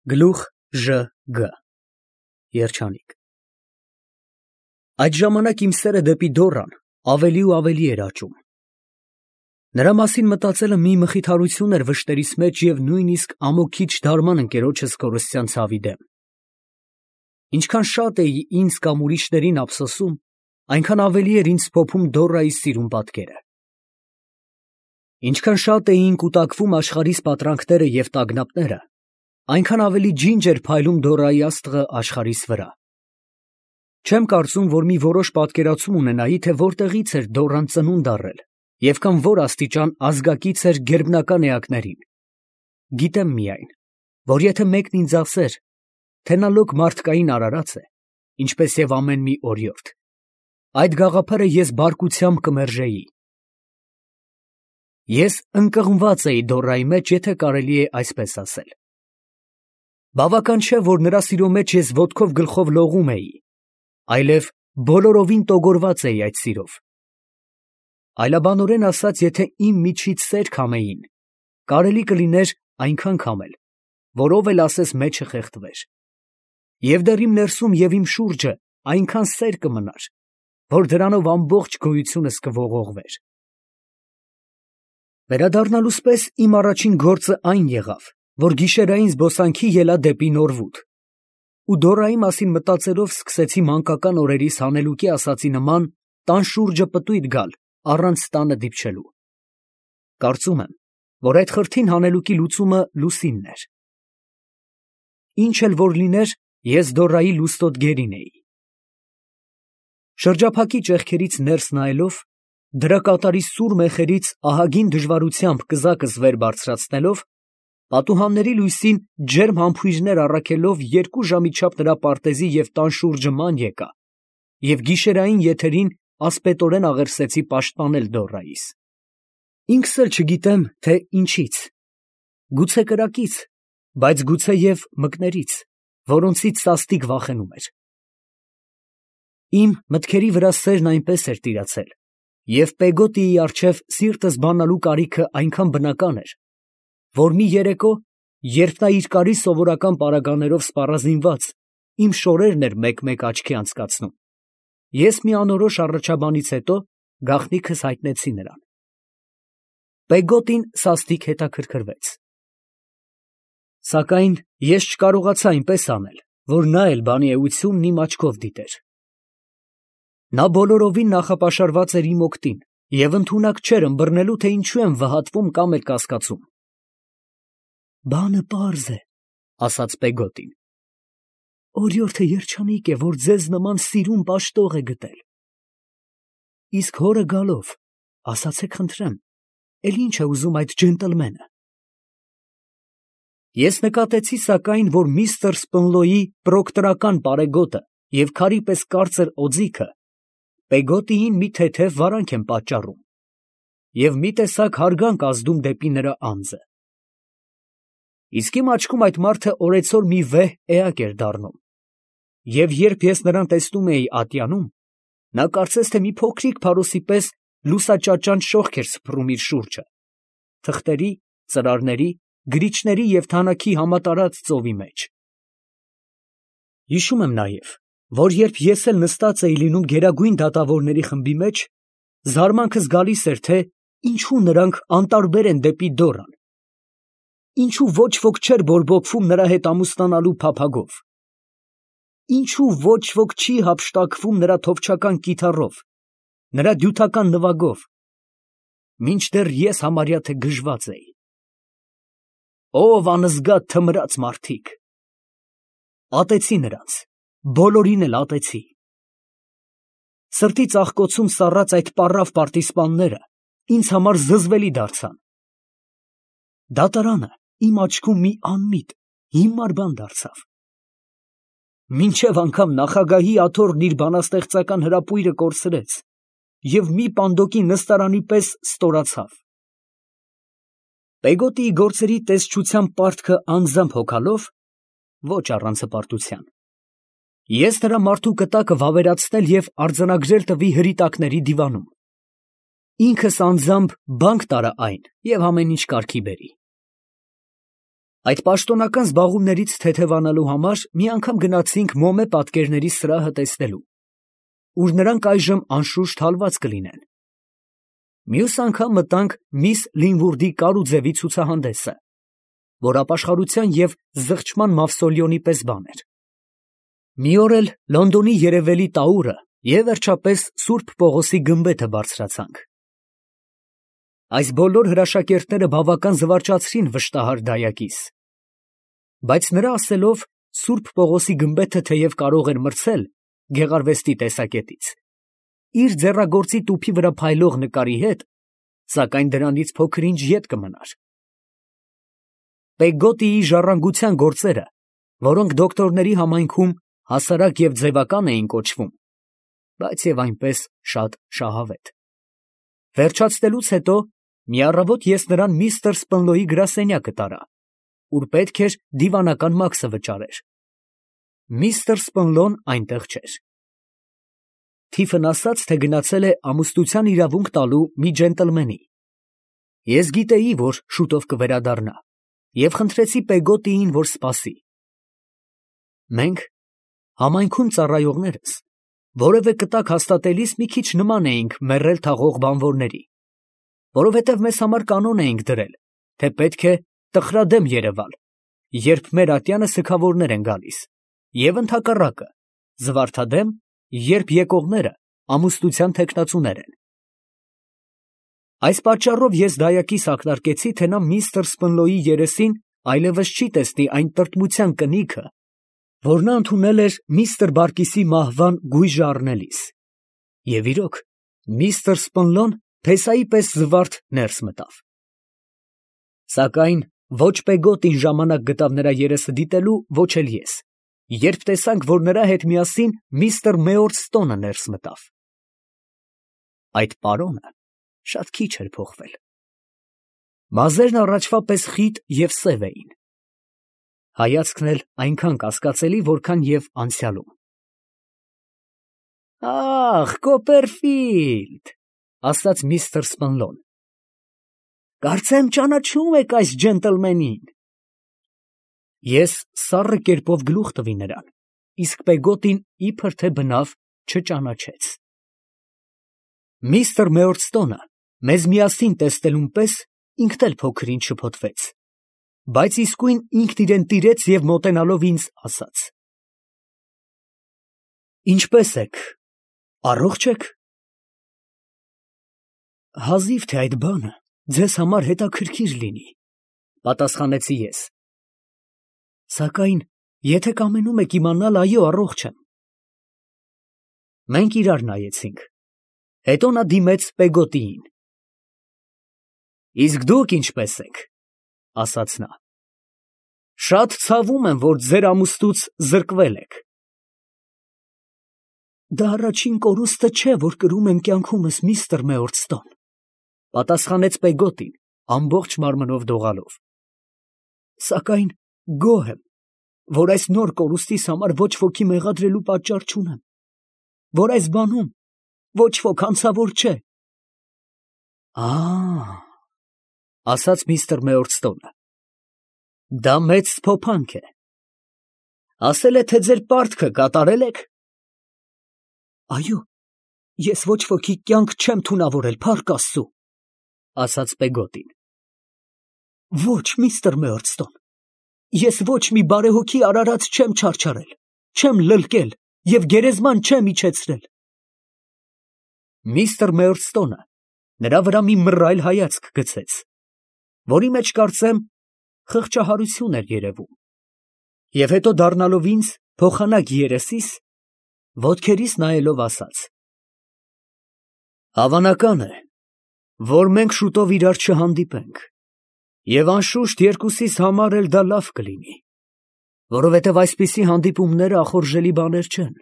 Գլուխ Ժ.Գ. Երջանիկ։ Այդ ժամանակ իմ սերը դեպի Դոռան ավելի ու ավելի էր աճում։ Նրա մասին մտածելը մի մխիթարություն էր վշտերիս մեջ և նույնիսկ ամոքիչ դարման ընկերոջս կորստյան ցավի դեմ։ Ինչքան շատ էի ինձ կամ ուրիշներին ափսոսում, այնքան ավելի էր ինձ փոփում Դոռայի սիրուն պատկերը։ Ինչքան շատ էին կուտակվում աշխարհիս պատրանքները և տագնապները, այնքան ավելի ջինջ էր փայլում Դոռայի աստղը աշխարհիս վրա։ Չեմ կարծում, որ մի որոշ պատկերացում ունենայի, թե որտեղից էր Դոռան ծնունդ առել և կամ որ աստիճան ազգակից էր գերբնական էակներին։ Գիտեմ միայն, որ եթե մեկն ինձ ասեր, թե նա լոկ մարդկային արարած է, ինչպես և ամեն մի օրիորդ, այդ գաղափարը ես բարկությամբ կմերժեի։ Ես ընկղմված էի Դոռայի մեջ, եթե կարելի է այսպես ասել։ Բավական չէ, որ նրա սիրո մեջ ես ոտքով գլխով լողում էի, այլև բոլորովին տոգորված էի այդ սիրով։ Այլաբանորեն ասած, եթե իմ միջից սեր քամեին, կարելի կլիներ այնքան քամել, որով էլ ասես մեջը խեղդվեր։ Եվ դեռ իմ ներսում և իմ շուրջը այնքան սեր կմնար, որ դրանով ամբողջ գոյությունս կողողվեր։ Վերադառնալուս պես իմ առաջին գործը այն եղավ, որ գիշերային զբոսանքի ելա դեպի Նորվուդ, ու Դոռայի մասին մտածելով սկսեցի մանկական օրերիս հանելուկի ասածի նման տան շուրջը պտույտ գալ, առանց տանը դիպչելու։ Կարծում եմ, որ այդ խրթին հանելուկի լուծումը լուսինն էր։ Ինչ էլ որ լիներ, ես Դոռայի լուստոտ գերին էի։ Շրջափակի ճեղքերից ներս նայելով, դրա կատարի սուր մեխերից ահագին դժվարությամբ կզակս վեր բարձրացնելով, պատուհանների լույսին ջերմ համբույրներ առաքելով 2 ժամի չափ նրա պարտեզի և տան շուրջը ման եկա և գիշերային եթերին ասպետորեն աղերսեցի պաշտպանել Դոռայիս։ Ինքս էլ չգիտեմ, թե ինչից, գուցե կրակից, բայց գուցե և մկներից, որոնցից սաստիկ վախենում էր։ Իմ մտքերի վրա սերն այնպես էր տիրացել, և Պեգոտիի առջև սիրտս բանալու կարիքը այնքան բնական էր, որ մի երեկո, երբ նա իր կարի սովորական պարագաներով սպառազինված իմ շորերն էր մեկ-մեկ աչքի անցկացնում, ես մի անորոշ առաջաբանից հետո գաղտնիքս հայտնեցի նրան։ Պեգոտին սաստիկ հետաքրքրվեց։ Սակայն ես չկարողացա այնպես անել, որ նա էլ բանի էությունն իմ աչքով դիտեր։ Նա բոլորովին նախապաշարված էր իմ օգտին և ընդունակ չէր ըմբռնելու, թե ինչու եմ վհատվում կամ էլ կասկածում։ «Բանը պարզ է, ֊ ասաց Պեգոտին, ֊ օրիորդը երջանիկ է, որ ձեզ նման սիրուն պաշտող է գտել։ Իսկ հորը գալով, ասացեք խնդրեմ, էլ ի՞նչ է ուզում այդ ջենտլմենը»։ Ես նկատեցի սակայն, որ միստր Սպնլոյի պրոկտորական պարեգոտը և քարի պես կարծր օձիքը Պեգոտիին մի թեթև վարանք են պատճառում և մի տեսակ հարգանք ազդում դեպի նրա անձը։ Իսկ իմ աչքում այդ մարդը օրեցօր մի վեհ էակ էր դառնում, և երբ ես նրան տեսնում էի ատյանում, նա կարծես թե մի փոքրիկ փարոսի պես լուսաճաճանճ շողք էր սփռում իր շուրջը, թղթերի, ծրարների, գրիչների և թանաքի համատարած ծովի մեջ։ Հիշում եմ նաև, որ երբ ես էլ նստած էի լինում գերագույն դատավորների խմբի մեջ, զարմանքս գալիս էր, թե ինչու նրանք անտարբեր են դեպի Դոռան, ինչու ոչ ոք չէր բորբոքվում նրա հետ ամուսնանալու փափագով, ինչու ոչ ոք չի հափշտակվում նրա թովչական կիթառով, նրա դյութական նվագով, մինչդեռ ես համարյա թե գժված էի։ Ով անզգա թմրած մարդիկ… Ատեցի նրանց, բոլորին էլ ատեցի։ Սրտի ծաղկոցում սառած այդ պառավ պարտիզպանները ինձ համար զզվելի դարձան։ Դատարանը իմ աչքում մի անմիտ, հիմար բան դարձավ։ Մինչև անգամ նախագահի աթոռն իր բանաստեղծական հրապույրը կորցրեց և մի պանդոկի նստարանի պես ստորացավ։ Պեգոտիի գործերի տեսչության պարտքը անձամբ հոգալով, ոչ առանց հպարտության, ես նրա մարդու կտակը վավերացնել և արձանագրել տվի հրիտակների դիվանում։ Ինքս անձամբ բանկ տարա այն և ամեն ինչ կարգի բերի։ Այդ պաշտոնական զբաղումներից թեթևանալու համար մի անգամ գնացինք Մոմե պատկերների սրահը տեսնելու, ուր նրանք այժմ անշուշտ հալված կլինեն։ Մյուս անգամ մտանք միս Լինվուրդի կարուձևի ցուցահանդեսը, որ ապաշխարության և զղջման մավսոլեոնի պես բան էր։ Մի օր էլ Լոնդոնի երևելի տաուրը և վերջապես Սուրբ Պողոսի գմբեթը բարձրացանք։ Այս բոլոր հրաշակերտները բավական զվարճացրին վշտահար դայակիս, բայց նրա ասելով Սուրբ Պողոսի գմբեթը թեև կարող էր մրցել գեղարվեստի տեսակետից իր ձեռագործի տուփի վրա փայլող նկարի հետ, սակայն դրանից փոքր-ինչ ետ կմնար։ Պեգոտիի ժառանգության գործերը, որոնք դոկտորների համայնքում հասարակ և ձևական էին կոչվում, բայց և այնպես շատ շահավետ։ Վերջացնելուց հետո մի առավոտ ես նրան միստր Սպնլոյի գրասենյակը տարա, ուր պետք էր դիվանական մաքսը վճարեր։ Միստր Սպնլոն այնտեղ չէր։ Թիֆն ասաց, թե գնացել է ամուսնության իրավունք տալու մի ջենտլմենի։ Ես գիտեի, որ շուտով կվերադառնա, և խնդրեցի Պեգոտիին, որ սպասի։ Մենք, համայնքում ծառայողներս, որևէ կտակ հաստատելիս մի քիչ նման էինք մեռել թաղող բանվորների, որովհետև մեզ համար կանոն էինք դրել, թե պետք է տխրադեմ երևալ, երբ մեր ատյանը սգավորներ են գալիս, և ընդհակառակը, զվարթադեմ, երբ եկողները ամուսնության թեկնածուներ են։ Այս պատճառով ես դայակիս ակնարկեցի, թե նա միստր Սպնլոյի երեսին այլևս չի տեսնի այն տրտմության կնիքը, որ նա ընդունել էր միստր Բարկիսի մահվան գույժը առնելիս։ Եվ իրոք, միստր Սպնլոն փեսայի պես զվարթ ներս մտավ։ Սակայն ոչ Պեգոտին ժամանակ գտավ նրա երեսը դիտելու, ոչ էլ ես, երբ տեսանք, որ նրա հետ միասին միստր Մեորսթոնը ներս մտավ։ Այդ պարոնը շատ քիչ էր փոխվել։ Մազերն առաջվա պես խիտ և սև էին, հայացքն էլ այնքան կասկածելի, որքան և անցյալում։ «Ախ, Կոպերֆիլդ, ֊ ասաց միստր Սպնլոն, ֊ կարծեմ ճանաչում եք այս ջենտլմենին»։ Ես սառը կերպով գլուխ տվի նրան, իսկ Պեգոտին իբր թե բնավ չճանաչեց։ Միստր Մեորսթոնը մեզ միասին տեսնելուն պես ինքն էլ փոքր-ինչ շփոթվեց, բայց իսկույն ինքն իրան տիրեց և մոտենալով ինձ ասաց. «Ինչպե՞ս եք, առողջ եք»։ «Հազիվ թե այդ բանը ձեզ համար հետաքրքիր լինի», ֊ պատասխանեցի ես։ «Սակայն եթե կամենում եք իմանալ, այո, առողջ եմ»։ Մենք իրար նայեցինք, հետո նա դիմեց Պեգոտիին։ «Իսկ դուք ինչպե՞ս եք», ֊ ասաց նա։ «Շատ ցավում եմ, որ ձեր ամուսնուց զրկվել եք»։ «Դա առաջին կորուստը չէ, որ կրում եմ կյանքումս, միստր Մեորսթոն», ֊ պատասխանեց Պեգոտին, ամբողջ մարմնով դողալով։ «Սակայն գոհ եմ, որ այս նոր կորուստիս համար ոչ ոքի մեղադրելու պատճառ չունեմ, որ այս բանում ոչ ոք անցավոր չէ»։ «Ա՜, ֊ ասաց միստր Մեորսթոնը, ֊ դա մեծ սփոփանք է։ Ասել է, թե ձեր պարտքը կատարել եք»։ «Այո, ես ոչ ոքի կյանք չեմ թունավորել, փառք Աստծու», ֊ ասաց Պեգոտին։ «Ոչ, միստր Մեորսթոն, ես ոչ մի բարեհոգի արարած չեմ չարչարել, չեմ լլկել և գերեզման չեմ իջեցրել»։ Միստր Մեորսթոնը նրա վրա մի մռայլ հայացք գցեց, որի մեջ, կարծեմ, խղճահարություն էր երևում, և հետո դառնալով ինձ, փոխանակ երեսիս, ոտքերիս նայելով ասաց. «Հավանական է, որ մենք շուտով իրար չհանդիպենք, և անշուշտ երկուսիս համար էլ դա լավ կլինի, որովհետև այսպիսի հանդիպումները ախորժելի բաներ չեն։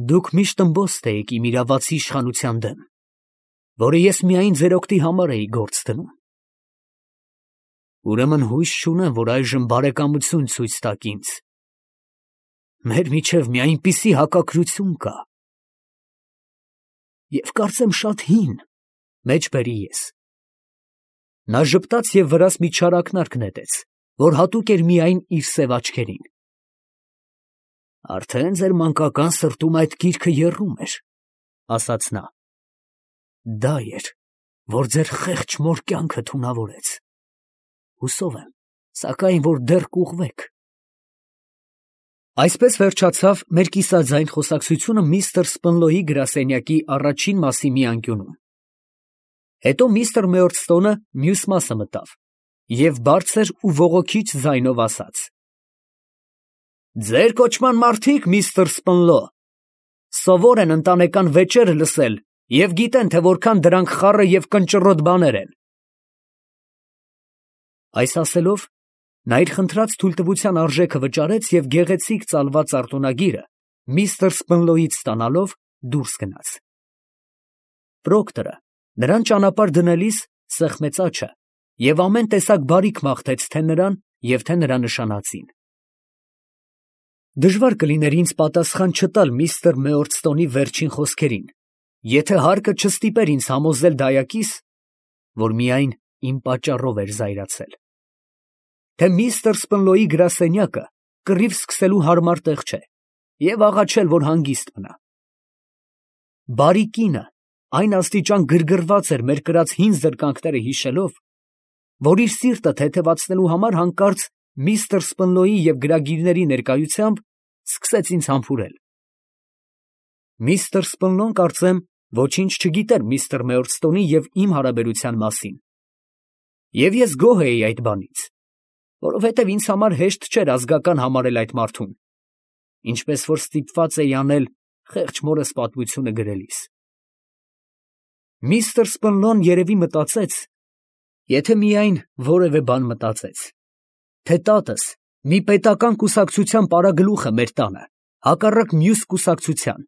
Դուք միշտ ըմբոստ էիք իմ իրավացի իշխանության դեմ, որը ես միայն ձեր օգտի համար էի գործ դնում։ Ուրեմն հույս չունեմ, որ այժմ բարեկամություն ցույց տաք ինձ։ Մեր միջև մի այնպիսի հակակրություն կա, և կարծեմ շատ հին, ֊ մեջբերի ես, Նա ժպտաց և վրաս մի չար ակնարկ նետեց, որ հատուկ էր միայն իր սև աչքերին։ Արդեն ձեր մանկական սրտում այդ գիրքը եռում էր, ասաց նա։ Դա էր, որ ձեր խեղճ մոր կյանքը թունավորեց։ Հուսով եմ, սակայն, որ դեռ կուղղվեք։ Այսպես վերջացավ մեր կիսաձայն խոսակցությունը միստր Սպնլոյի գրասենյակի առաջին մասի մի անկյունում։ Հետո միստր Մեյորստոնը մյուս մասը մտավ և բարձր ու ողոքիչ ձայնով ասաց. «Ձեր կոչման մարդիկ, միստր Սպնլո, սովոր են ընտանեկան վեճերը լսել և գիտեն, թե որքան դրանք խառը և կնճռոտ բաներ են»։ Այս ասելով, նա իր խնդրած թույլտվության արժեքը վճարեց և գեղեցիկ ծալված արտոնագիրը միստր Սպնլոյից ստանալով դուրս գնաց։ Պրոկտորը նրան ճանապարհ դնելիս սեղմեց աջը և ամեն տեսակ բարիք մաղթեց թե նրան և թե նրա նշանածին։ Դժվար կլիներ ինձ պատասխան չտալ միստր Մեյորստոնի վերջին խոսքերին, եթե հարկը չստիպեր ինձ համոզել դայակիս, որ միայն իմ պատճառով էր զայրացել, թե միստր Սպնլոյի գրասենյակը կռիվ սկսելու հարմար տեղ չէ, և աղաչել, որ հանգիստ մնա։ Բարի կինը այն աստիճան գրգռված էր մեր կրած հին զրկանքները հիշելով, որ իր սիրտը թեթևացնելու համար հանկարծ միստր Սպնլոյի և գրագիրների ներկայությամբ սկսեց ինձ համբուրել։ Միստր Սպնլոն, կարծեմ, ոչինչ չգիտեր միստր Մեյորստոնի և իմ հարաբերության մասին, և ես գոհ էի այդ բանից, որովհետև ինձ համար հեշտ չէր ազգական համարել այդ մարդուն, ինչպես որ ստիպված էի անել խեղճ մորս պատմությունը գրելիս։ Միստր Սպնլոն երևի մտածեց, եթե միայն որևէ բան մտածեց, թե տատս մի պետական կուսակցության պարագլուխը մեր տանը, հակառակ մյուս կուսակցության,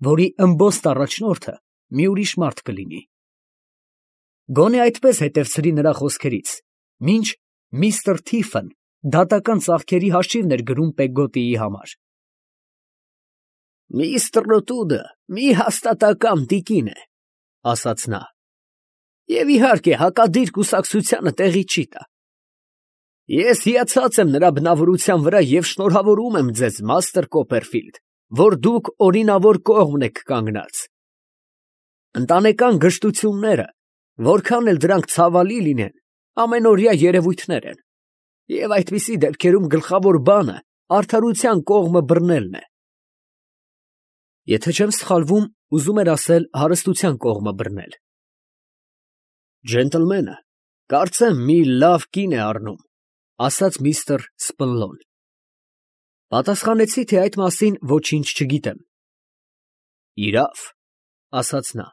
որի ըմբոստ առաջնորդը մի ուրիշ մարդ կլինի։ Գոնե այդպես հետևցրի նրա խոսքերից, մինչ միստր Թիֆն դատական ծախքերի հաշիվն էր գրում Պեգգոտիի համար։ «Միստր Նոտուդը մի հաստատակամ տիկին է, ֊ ասաց նա, ֊ և իհարկե հակադիր կուսակցությանը տեղի չի տա։ Ես հիացած եմ նրա բնավորության վրա և շնորհավորում եմ ձեզ, մաստր Կոպերֆիլդ, որ դուք օրինավոր կողմն եք կանգնած։ Ընտանեկան գժտությունները, որքան էլ դրանք ցավալի լինեն, ամենօրյա երևույթներ են, և այդպիսի դեպքերում գլխավոր բանը արդարության կողմը բռնելն է։ Եթե չեմ սխալվում, ուզում էր ասել հարստության կողմը բռնել։ Ջենտլմենը, կարծեմ, մի լավ կին է առնում, ֊ ասաց միստր Սպնլոն։ Պատասխանեցի, թե այդ մասին ոչինչ չգիտեմ։ Իրավ, ֊ ասաց նա,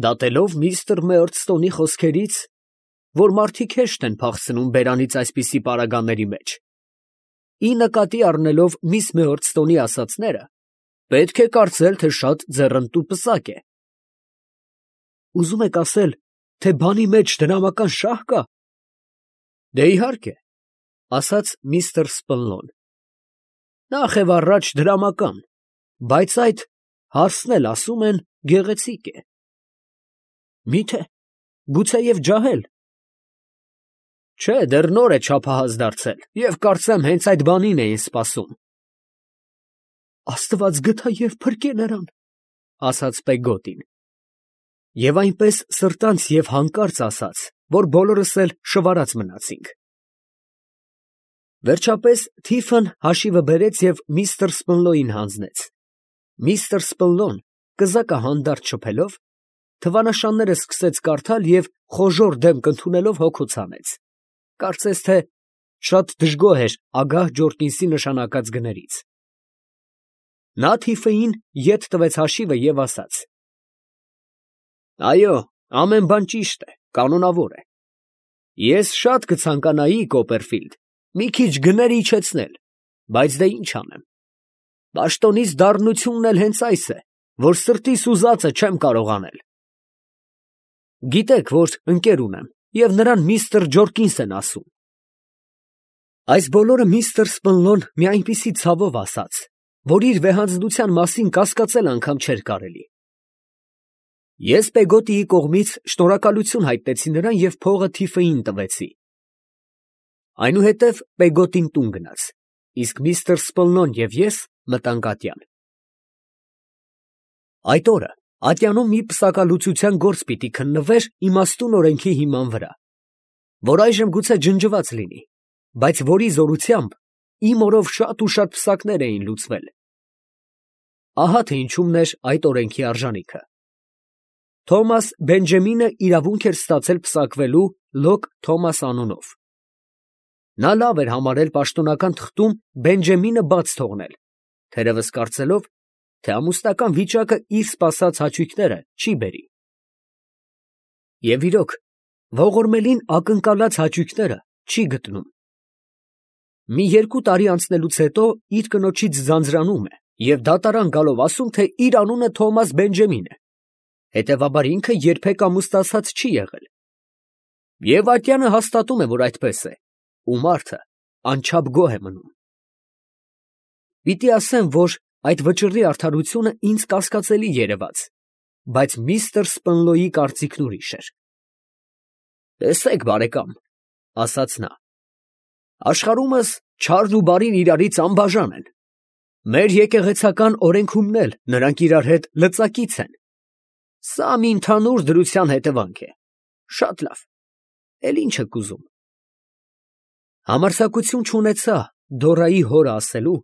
դատելով միստր Մեյորստոնի խոսքերից, որ մարդիկ հեշտ են փախցնում բերանից այսպիսի պարագաների մեջ, ի նկատի առնելով միս Մեյորստոնի ասածները, պետք է կարծել, թե շատ ձեռնտու պսակ է։ Ուզում եք ասել, թե բանի մեջ դրամական շահ կա։ Դե իհարկե, ֊ ասաց միստր Սպնլոն, նախ և առաջ դրամական, բայց այդ հարսն էլ, ասում են, գեղեցիկ է։ Մի՞թե, գուցեև ջահել։ Չէ, դեռ նոր է չափահաս դարձել, և կարծեմ, հենց այդ բանին էին սպասում։ Աստված գթա և փրկե նրան, ֊ ասաց Պեգգոտին, և այնպես սրտանց և հանկարծ ասաց, որ բոլորս էլ շվարած մնացինք։ Վերջապես Թիֆն հաշիվը բերեց և միստր Սպնլոյին հանձնեց։ Միստր Սպնլոն, կզակը հանդարտ շփելով, թվանշանները սկսեց կարդալ և խոժոռ դեմք ընդունելով հոգոց հանեց, կարծես թե շատ դժգոհ էր ագահ Ջորկինսի նշանակած գներից։ Նա Թիֆեին ետ տվեց հաշիվը և ասաց. Այո, ամեն բան ճիշտ է, կանոնավոր է։ Ես շատ կցանկանայի, Կոպերֆիլդ, մի քիչ գներ իջեցնել, բայց դե ինչ անեմ։ Պաշտոնիս դառնությունն էլ հենց այս է, որ սրտիս ուզածը չեմ կարող անել։ Գիտեք, որ ընկեր ունեմ, և նրան միստր Ջորկինս են ասում։ Այս բոլորը միստր Սպնլոն մի այնպիսի ցավով ասաց, որ իր վեհանձնության մասին կասկածել անգամ չէր կարելի։ Ես Պեգոտիի կողմից շնորհակալություն հայտնեցի նրան և փողը Թիֆեին տվեցի։ Այնուհետև Պեգոտին տուն գնաց, իսկ միստր Սպլնոն և ես մտանք ատյան։ Այդ օրը ատյանում մի պսակալուծության գործ պիտի քննվեր իմաստուն օրենքի հիման վրա, որ այժմ գուցե ջնջված լինի, բայց որի զորությամբ իմ օրով շատ ու շատ պսակներ էին լուծվել։ Ահա թե ինչումն էր այդ օրենքի արժանիքը։ Թոմաս Բենջամինը իրավունք էր ստացել պսակվելու Լոկ Թոմաս անունով։ Նա լավ էր համարել պաշտոնական թղթում Բենջամինը բաց թողնել, թերևս կարծելով, թե ամուսնական վիճակը իր սպասած հաճույքները չի բերի։ Եվ իրոք, ողորմելին ակնկալած հաճույքները չի գտնում։ Մի 2 տարի անցնելուց հետո իր կնոջից ձանձրանում է և դատարան գալով ասում, թե իր անունը Թոմաս Բենջամին է, հետևաբար ինքը երբեք ամուսնացած չի եղել։ Եվ ատյանը հաստատում է, որ այդպես է, ու մարդը անչափ գոհ է մնում։ Պիտի ասեմ, որ այդ վճռի արդարությունը ինձ կասկածելի երևաց, բայց միստր Սպնլոյի կարծիքն ուրիշ էր։ «Տեսեք, բարեկամ, ֊ ասաց նա, ֊ աշխարհումս չարն ու բարին իրարից անբաժան են։ Մեր եկեղեցական օրենքում էլ նրանք իրար հետ լծակից են։ Սա մի ընդհանուր դրության հետևանք է։ Շատ լավ, էլ ի՞նչ եք ուզում»։ Համարձակություն չունեցա Դորայի հորը ասելու,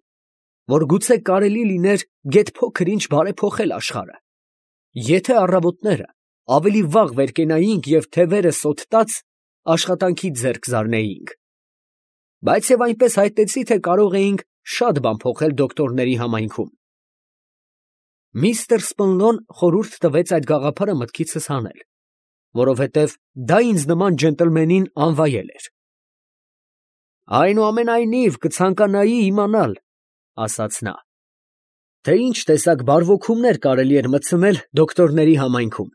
որ գուցե կարելի լիներ գեթ փոքր ինչ բարեփոխել աշխարհը, եթե առավոտները ավելի վաղ վեր կենայինք և թևերը սոթ տաց աշխատանքից ձեռք զարնեինք, բայց և այնպես հայտնեցի, թե կարող էինք շատ բան փոխել դոկտորների համայնքում։ Միստր Սպլնոն խորհուրդ տվեց այդ գաղափարը մտքիցս հանել, որովհետև դա ինձ նման ջենտլմենին անվայել էր։ «Այնուամենայնիվ կցանկանայի իմանալ, ֊ ասաց նա, ֊ թե ինչ տեսակ բարվոքումներ կարելի էր մտցնել դոկտորների համայնքում»։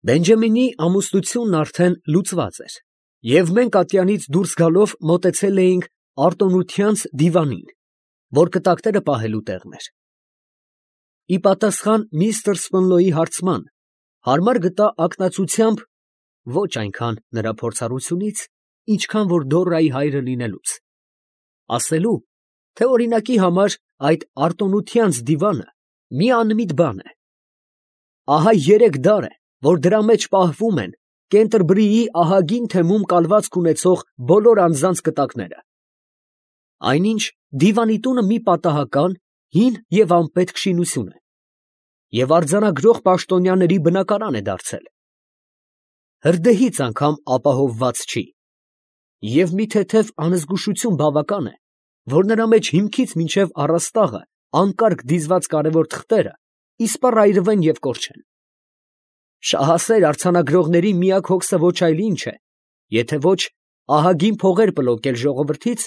Բենջամինի ամուսնությունն արդեն լուծված էր, և մենք ատյանից դուրս գալով մոտեցել էինք արտոնությանց դիվանին, որ կտակները պահելու տեղն էր։ Ի պատասխան միստր Սպնլոյի հարցման, հարմար գտա ակնածությամբ ոչ այնքան նրա փորձառությունից, ինչքան որ Դորայի հայրը լինելուց, ասելու, թե օրինակի համար այդ արտոնությանց դիվանը մի անմիտ բան է։ Ահա 3 դար է, որ դրա մեջ պահվում են Կենտերբրիի ահագին թեմում կալվածք ունեցող բոլոր անձանց կտակները։ Այնինչ դիվանի տունը մի պատահական, հին և անպետք շինություն է, և արձանագրող պաշտոնյաների բնակարան է դարձել։ Հրդեհից անգամ ապահովված չի, և մի թեթև անզգուշություն բավական է, որ նրա մեջ հիմքից մինչև առաստաղը անկարգ դիզված կարևոր թղթերը իսպառ այրվեն և կորչեն։ Շահասեր արձանագրողների միակ հոգսը ոչ այլ ինչ է, եթե ոչ ահագին փողեր պլոկել ժողովրդից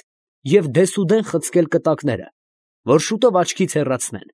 և դեսուդեն խցկել կտակները, որ շուտով աչքից հեռացնեն։